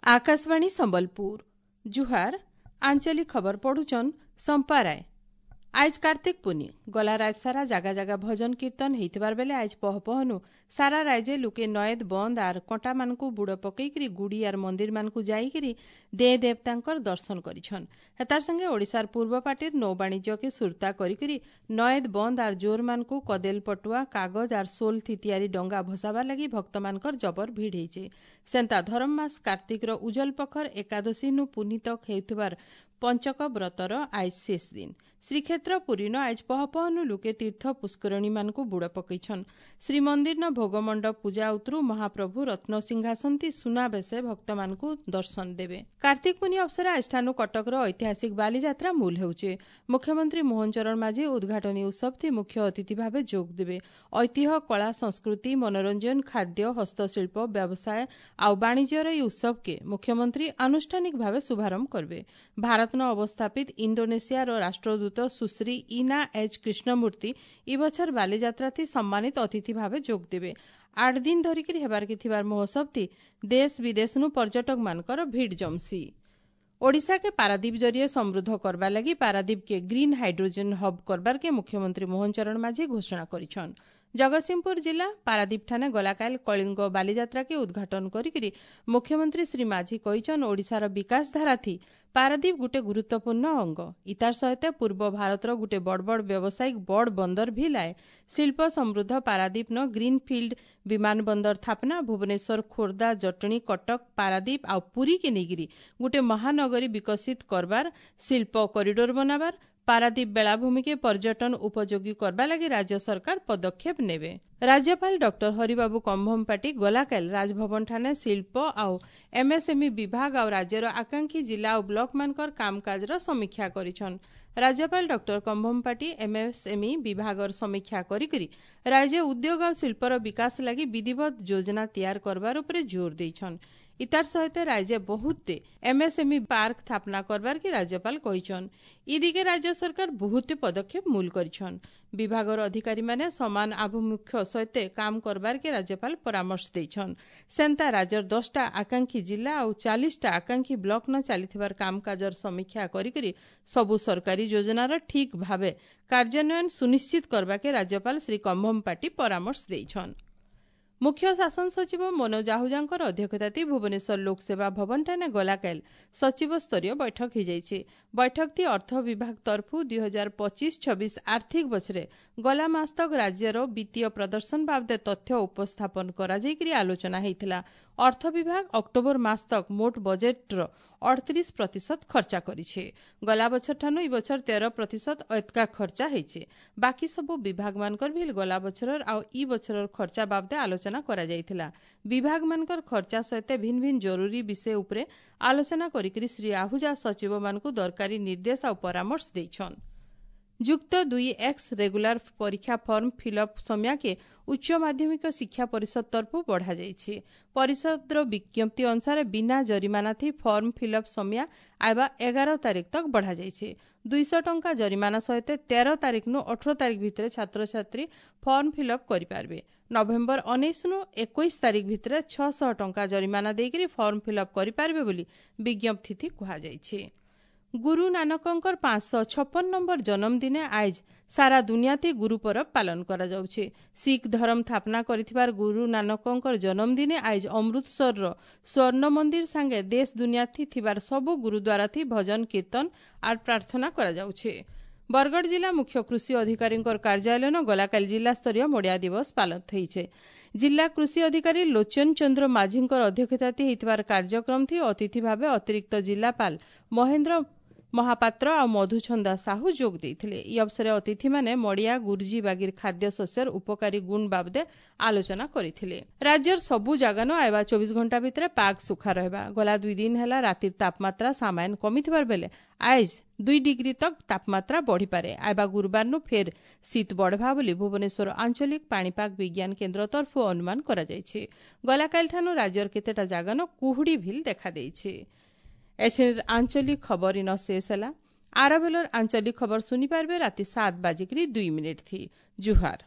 ଆକାଶବାଣୀ ସମ୍ବଲପୁର, ଜୁହାର। ଆଞ୍ଚଳିକ ଖବର ପଢୁଛନ୍ ସମ୍ପା ରାୟ। ଆଏଜ୍ କାର୍ତ୍ତିକ ପୁନି। ଗଲା ରାଏତ୍ ସାରା ଜାଗା ଜାଗା ଭଜନ କୀର୍ତ୍ତନ ହେଇଥିବାର ବେଲେ ଆଏଜ୍ ପହ ପହନୁ ସାରା ରାଏଜେ ଲୁକେ ନଏଦ୍, ବନ୍ଦ ଆର୍ କଣ୍ଟାମାନଙ୍କୁ ବୁଡ଼ ପକେଇକିରି ଗୁଡ଼ି ଆର୍ ମନ୍ଦିରମାନଙ୍କୁ ଯାଇକିରି ଦେ ଦେବତାଙ୍କର ଦର୍ଶନ କରିଛନ୍। ହେତାର ସଙ୍ଗେ ଓଡ଼ିଶାର ପୂର୍ବ ପାଟିର ନୌବାଣିଜ୍ୟକେ ସୁରତା କରିକିରି ନଏଦ୍, ବନ୍ଦ ଆର୍ ଜୋରମାନଙ୍କୁ କଦେଲ ପଟୁଆ, କାଗଜ ଆର୍ ସୋଲ୍ ଥି ତିଆରି ଡଙ୍ଗା ଭସାବାର ଲାଗି ଭକ୍ତମାନଙ୍କର ଜବର ଭିଡ଼ ହେଇଛେ। ସେନ୍ତା ଧରମ ମାସ କାର୍ତ୍ତିକର ଉଜଲ ପଖର ଏକାଦଶୀ ନୁ ପୁନି ତକ୍ ହେଉଥିବାର ପଞ୍ଚକ ବ୍ରତର ଆଏଜ୍ ଶେଷ ଦିନ। ଶ୍ରୀକ୍ଷେତ୍ର ପୁରୀନ ଆଏଜ୍ ପହ ପହନୁ ଲୁକେ ତୀର୍ଥ ପୁଷ୍କରଣୀମାନଙ୍କୁ ବୁଡ଼ ପକେଇଛନ୍। ଶ୍ରୀମନ୍ଦିରନ ଭୋଗମଣ୍ଡପ ପୂଜା ଉତରୁ ମହାପ୍ରଭୁ ରତ୍ନ ସିଂହାସନଥି ସୁନାବେଶେ ଭକ୍ତମାନଙ୍କୁ ଦର୍ଶନ ଦେବେ। କାର୍ତ୍ତିକ ପୁନି ଅବସରେ ଆଜଠାନୁ କଟକର ଐତିହାସିକ ବାଲିଯାତ୍ରା ମୂଲ ହେଉଛେ। ମୁଖ୍ୟମନ୍ତ୍ରୀ ମୋହନ ଚରଣ ମାଝୀ ଉଦ୍ଘାଟନୀ ଉତ୍ସବଥି ମୁଖ୍ୟ ଅତିଥି ଭାବେ ଯୋଗ ଦେବେ। ଐତିହ୍ୟ, କଳା, ସଂସ୍କୃତି, ମନୋରଞ୍ଜନ, ଖାଦ୍ୟ, ହସ୍ତଶିଳ୍ପ, ବ୍ୟବସାୟ ଆଉ ବାଣିଜ୍ୟର ଏହି ଉତ୍ସବକେ ମୁଖ୍ୟମନ୍ତ୍ରୀ ଆନୁଷ୍ଠାନିକ ଭାବେ ଶୁଭାରମ୍ଭ କରିବେ। ଭାରତନ ଅବସ୍ଥାପିତ ଇଣ୍ଡୋନେସିଆର ରାଷ୍ଟ୍ରଦୂତ ସୁଶ୍ରୀ ଇନା ଏଚ୍ କୃଷ୍ଣମୂର୍ତ୍ତି ଇ ବଛର ବାଲିଯାତ୍ରାଥି ସମ୍ମାନିତ ଅତିଥି ଭାବେ ଯୋଗ ଦେବେ। 8 ଦିନ ଧରିକିରି ହେବାରକେ ଥିବାର ମହୋତ୍ସବଥି ଦେଶ ବିଦେଶନୁ ପର୍ଯ୍ୟଟକମାନଙ୍କର ଭିଡ଼ ଜମସି। ଓଡ଼ିଶାକେ ପାରାଦୀପ ଜରିଏ ସମୃଦ୍ଧ କରବା ଲାଗି ପାରାଦୀପକେ ଗ୍ରୀନ୍ ହାଇଡ୍ରୋଜେନ୍ ହବ୍ କରବାରକେ ମୁଖ୍ୟମନ୍ତ୍ରୀ ମୋହନ ଚରଣ ମାଝୀ ଘୋଷଣା କରିଛନ୍। ଜଗତସିଂହପୁର ଜିଲ୍ଲା ପାରାଦୀପଠାନେ ଗଲାକାଲ କଳିଙ୍ଗ ବାଲିଯାତ୍ରାକେ ଉଦ୍ଘାଟନ କରିକିରି ମୁଖ୍ୟମନ୍ତ୍ରୀ ଶ୍ରୀ ମାଝୀ କହିଛନ୍, ଓଡ଼ିଶାର ବିକାଶ ଧାରାଥି ପାରାଦୀପ ଗୁଟେ ଗୁରୁତ୍ୱପୂର୍ଣ୍ଣ ଅଙ୍ଗ। ଇତାର ସହିତ ପୂର୍ବ ଭାରତର ଗୁଟେ ବଡ଼ ବଡ଼ ବ୍ୟବସାୟିକ ବଡ଼ ବନ୍ଦର ଭି ଲାଏ। ଶିଳ୍ପ ସମୃଦ୍ଧ ପାରାଦୀପ ନ ଗ୍ରୀନ୍ ଫିଲ୍ଡ ବିମାନ ବନ୍ଦର ସ୍ଥାପନା, ଭୁବନେଶ୍ୱର, ଖୋର୍ଦ୍ଧା, ଜଟଣୀ, କଟକ, ପାରାଦୀପ ଆଉ ପୁରୀକେ ନେଇକିରି ଗୁଟେ ମହାନଗରୀ ବିକଶିତ କରବାର, ଶିଳ୍ପ କରିଡୋର ବନାବାର, ପାରାଦୀପ ବେଳାଭୂମିକେ ପର୍ଯ୍ୟଟନ ଉପଯୋଗୀ କରବା ଲାଗି ରାଜ୍ୟ ସରକାର ପଦକ୍ଷେପ ନେବେ। ରାଜ୍ୟପାଳ ଡକ୍ଟର ହରିବାବୁ କମ୍ଭମପାଟି ଗଲାକାଲ ରାଜଭବନଠାନେ ଶିଳ୍ପ ଆଉ ଏମ୍ଏସ୍ଏମ୍ଇ ବିଭାଗ ଆଉ ରାଜ୍ୟର ଆକାଂକ୍ଷୀ ଜିଲ୍ଲା ଆଉ ବ୍ଲକମାନଙ୍କର କାମକାଜର ସମୀକ୍ଷା କରିଛନ୍। ରାଜ୍ୟପାଳ ଡକ୍ଟର କମ୍ଭମପାଟି ଏମ୍ଏସ୍ଏମ୍ଇ ବିଭାଗର ସମୀକ୍ଷା କରିକିରି ରାଜ୍ୟ ଉଦ୍ୟୋଗ ଆଉ ଶିଳ୍ପର ବିକାଶ ଲାଗି ବିଧିବଦ୍ଧ ଯୋଜନା ତିଆର କରବାର ଉପରେ ଜୋର ଦେଇଛନ୍। ଇତାର ସହିତ ରାଜ୍ୟ ବହୁତଟେ ଏମ୍ଏସ୍ଏମ୍ଇ ପାର୍କ ସ୍ଥାପନା କରବାର କି ରାଜ୍ୟପାଳ କହିଛନ୍। ଇ ଦିଗେ ରାଜ୍ୟ ସରକାର ବହୁତଟେ ପଦକ୍ଷେପ ମୂଲ କରିଛନ୍। ବିଭାଗର ଅଧିକାରୀମାନେ ସମାନ ଆଭିମୁଖ୍ୟ ସହିତ କାମ କରବାର କେ ରାଜ୍ୟପାଳ ପରାମର୍ଶ ଦେଇଛନ୍। ସେନ୍ତା ରାଜ୍ୟର 10ଟା ଆକାଂକ୍ଷୀ ଜିଲ୍ଲା ଆଉ 40ଟା ଆକାଂକ୍ଷୀ ବ୍ଲକ ନ ଚାଲିଥିବାର କାମକାଜର ସମୀକ୍ଷା କରିକରି ସବୁ ସରକାରୀ ଯୋଜନାର ଠିକ୍ ଭାବେ କାର୍ଯ୍ୟାନ୍ୱୟନ ସୁନିଶ୍ଚିତ କରବାକେ ରାଜ୍ୟପାଳ ଶ୍ରୀ କମ୍ଭମପାଟି ପରାମର୍ଶ ଦେଇଛନ୍। ମୁଖ୍ୟ ଶାସନ ସଚିବ ମନୋଜ ଆହୁଜାଙ୍କର ଅଧ୍ୟକ୍ଷତାତି ଭୁବନେଶ୍ୱର ଲୋକସେବା ଭବନଠାନେ ଗଲାକାଲ ସଚିବ ସ୍ତରୀୟ ବୈଠକ ହୋଇଯାଇଛି। ବୈଠକଟି ଅର୍ଥ ବିଭାଗ ତରଫୁ 2025-26 ଆର୍ଥିକ ବଛରେ ଗଲା ମାସ ତକ ରାଜ୍ୟର ବିତ୍ତୀୟ ପ୍ରଦର୍ଶନ ବାବଦେ ତଥ୍ୟ ଉପସ୍ଥାପନ କରାଯାଇକରି ଆଲୋଚନା ହୋଇଥିଲା। ଅର୍ଥ ବିଭାଗ ଅକ୍ଟୋବର ମାସ ତକ ମୋଟ ବଜେଟ୍ର 38% ଖର୍ଚ୍ଚା କରିছে। ଗଲା ବଛର ଠାନୁ ଇ ବଛର 13% ଏତକା ଖର୍ଚ୍ଚା ହେଇছে। ବାକି ସବୁ ବିଭାଗମାନଙ୍କର ବି ଗଲା ବଛରର ଆଉ ଇ ବଛରର ଖର୍ଚ୍ଚା ବାବଦେ ଆଲୋଚନା କରାଯାଇଥିଲା। ବିଭାଗମାନଙ୍କର ଖର୍ଚ୍ଚା ସହିତ ଭିନ୍ନ ଭିନ୍ନ ଜରୁରୀ ବିଷୟ ଉପରେ ଆଲୋଚନା କରିକିରି ଶ୍ରୀ ଆହୁଜା ସଚିବମାନଙ୍କୁ ଦରକାରୀ ନିର୍ଦ୍ଦେଶ ଆଉ ପରାମର୍ଶ ଦେଇଛନ୍। ଯୁକ୍ତ 2 ଏକ୍ସ ରେଗୁଲାର ପରୀକ୍ଷା ଫର୍ମ ଫିଲ୍ଅପ୍ ସମୟକେ ଉଚ୍ଚ ମାଧ୍ୟମିକ ଶିକ୍ଷା ପରିଷଦ ତରଫରୁ ବଢ଼ାଯାଇଛି। ପରିଷଦର ବିଜ୍ଞପ୍ତି ଅନୁସାରେ ବିନା ଜରିମାନା ଥି ଫର୍ମ ଫିଲ୍ଅପ୍ ସମୟ ଆଇବା 11 ତାରିଖ ତକ୍ ବଢ଼ାଯାଇଛି। 200 ଟଙ୍କା ଜରିମାନା ସହିତ 13 ତାରିଖନୁ 18 ତାରିଖ ଭିତରେ ଛାତ୍ରଛାତ୍ରୀ ଫର୍ମ ଫିଲ୍ଅପ୍ କରିପାରିବେ। ନଭେମ୍ବର 19ନୁ 21 ତାରିଖ ଭିତରେ 600 ଟଙ୍କା ଜରିମାନା ଦେଇକରି ଫର୍ମ ଫିଲ୍ଅପ୍ କରିପାରିବେ ବୋଲି ବିଜ୍ଞପ୍ତି କୁହାଯାଇଛି। ଗୁରୁ ନାନକଙ୍କର 556 ନମ୍ବର ଜନ୍ମଦିନେ ଆଏଜ୍ ସାରା ଦୁନିଆତି ଗୁରୁ ପରବ ପାଳନ କରାଯାଉଛି। ଶିଖ୍ ଧର୍ମ ସ୍ଥାପନା କରିଥିବାର ଗୁରୁ ନାନକଙ୍କର ଜନ୍ମଦିନେ ଆଏଜ୍ ଅମୃତସରର ସ୍ୱର୍ଣ୍ଣ ମନ୍ଦିର ସାଙ୍ଗେ ଦେଶ ଦୁନିଆଥି ଥିବାର ସବୁ ଗୁରୁଦ୍ୱାରାଥି ଭଜନ, କୀର୍ତ୍ତନ ଆର୍ ପ୍ରାର୍ଥନା କରାଯାଉଛି। ବରଗଡ଼ ଜିଲ୍ଲା ମୁଖ୍ୟ କୃଷି ଅଧିକାରୀଙ୍କର କାର୍ଯ୍ୟାଳୟନ ଗଲାକାଲି ଜିଲ୍ଲାସ୍ତରୀୟ ମଡ଼ିଆ ଦିବସ ପାଳନ ହେଇଛେ। ଜିଲ୍ଲା କୃଷି ଅଧିକାରୀ ଲୋଚନ ଚନ୍ଦ୍ର ମାଝୀଙ୍କର ଅଧ୍ୟକ୍ଷତାତି ହେଇଥିବାର କାର୍ଯ୍ୟକ୍ରମଥି ଅତିଥି ଭାବେ ଅତିରିକ୍ତ ଜିଲ୍ଲାପାଳ ମହେନ୍ଦ୍ର ମହାପାତ୍ର ଆଉ ମଧୁଛନ୍ଦା ସାହୁ ଯୋଗ ଦେଇଥିଲେ। ଇ ଅବସରେ ଅତିଥିମାନେ ମଡ଼ିଆ, ଗୁରୁଜୀ ବାଗିର ଖାଦ୍ୟ ଶସ୍ୟର ଉପକାରୀ ଗୁଣ ବାବଦେ ଆଲୋଚନା କରିଥିଲେ। ରାଜ୍ୟର ସବୁ ଜାଗାନ ଆଇବା 24 ଘଣ୍ଟା ଭିତରେ ପାଗ ସୁଖା ରହିବା। ଗଲା 2 ଦିନ ହେଲା ରାତିର ତାପମାତ୍ରା ସାମାନ୍ୟ କମିଥିବାର ବେଲେ ଆଏଜ୍ 2 ଡିଗ୍ରୀ ତକ୍ ତାପମାତ୍ରା ବଢ଼ିପାରେ। ଆଇବା ଗୁରୁବାରନୁ ଫେର୍ ଶୀତ ବଢ଼ବା ବୋଲି ଭୁବନେଶ୍ୱର ଆଞ୍ଚଳିକ ପାଣିପାଗ ବିଜ୍ଞାନ କେନ୍ଦ୍ର ତରଫରୁ ଅନୁମାନ କରାଯାଇଛି। ଗଲାକାଲିଠାନୁ ରାଜ୍ୟର କେତେଟା ଜାଗାନ କୁହୁଡ଼ି ଭିଲ୍ ଦେଖାଦେଇଛି। ଏସିର ଆଞ୍ଚଳିକ ଖବର ଇନ ଶେଷ ହେଲା। ଆରବେଲର ଆଞ୍ଚଳିକ ଖବର ଶୁଣିପାରିବେ ରାତି 7:02 ଥି। ଜୁହାର।